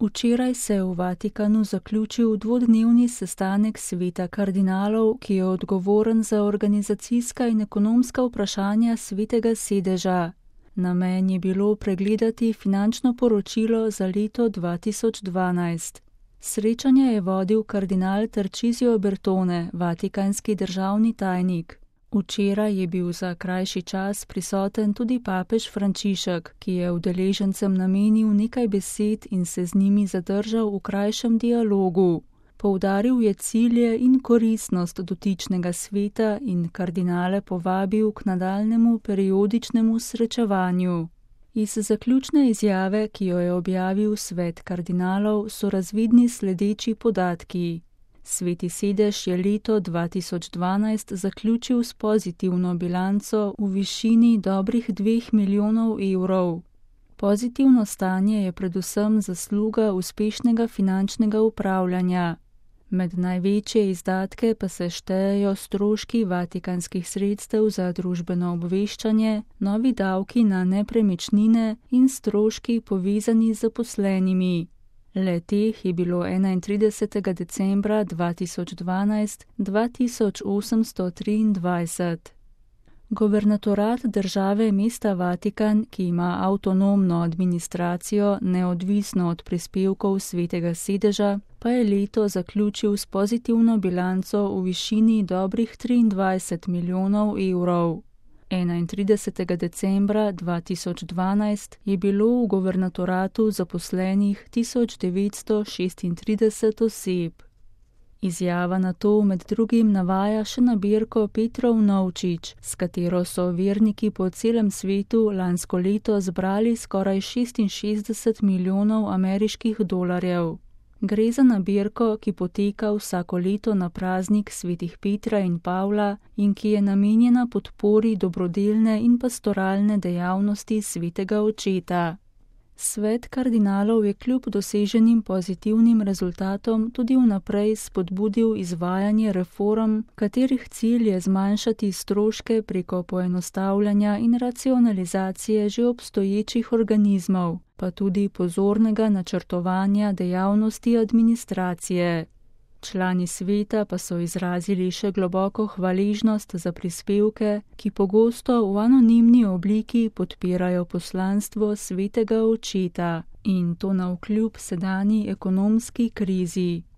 Včeraj se je v Vatikanu zaključil dvodnevni sestanek sveta kardinalov, ki je odgovoren za organizacijska in ekonomska vprašanja svetega sedeža. Namen je bilo pregledati finančno poročilo za leto 2012. Srečanje je vodil kardinal Tarcisio Bertone, vatikanski državni tajnik. Včeraj je bil za krajši čas prisoten tudi papež Frančišek, ki je udeležencem namenil nekaj besed in se z njimi zadržal v krajšem dialogu. Poudaril je cilje in koristnost dotičnega sveta in kardinale povabil k nadaljnemu periodičnemu srečevanju. Iz zaključne izjave, ki jo je objavil svet kardinalov, so razvidni sledeči podatki. Sveti sedež je leto 2012 zaključil s pozitivno bilanco v višini dobrih 2 milijonov evrov. Pozitivno stanje je predvsem zasluga uspešnega finančnega upravljanja. Med največje izdatke pa se štejejo stroški vatikanskih sredstev za družbeno obveščanje, novi davki na nepremičnine in stroški povezani z zaposlenimi. Le-teh je bilo 31. decembra 2012 2823. Guvernatorat države mesta Vatikan, ki ima avtonomno administracijo neodvisno od prispevkov svetega sedeža, pa je leto zaključil s pozitivno bilanco v višini dobrih 23 milijonov evrov. 31. decembra 2012 je bilo v guvernatoratu zaposlenih 1936 oseb. Izjava na to med drugim navaja še nabirko Petrov Novčič, s katero so verniki po celem svetu lansko leto zbrali skoraj 66 milijonov ameriških dolarjev. Gre za nabirko, ki poteka vsako leto na praznik svetih Petra in Pavla in ki je namenjena podpori dobrodelne in pastoralne dejavnosti svetega očeta. Svet kardinalov je kljub doseženim pozitivnim rezultatom tudi vnaprej spodbudil izvajanje reform, katerih cilj je zmanjšati stroške preko poenostavljanja in racionalizacije že obstoječih organizmov, pa tudi pozornega načrtovanja dejavnosti administracije. Člani sveta pa so izrazili še globoko hvaležnost za prispevke, ki pogosto v anonimni obliki podpirajo poslanstvo svetega očeta, in to navkljub sedanji ekonomski krizi.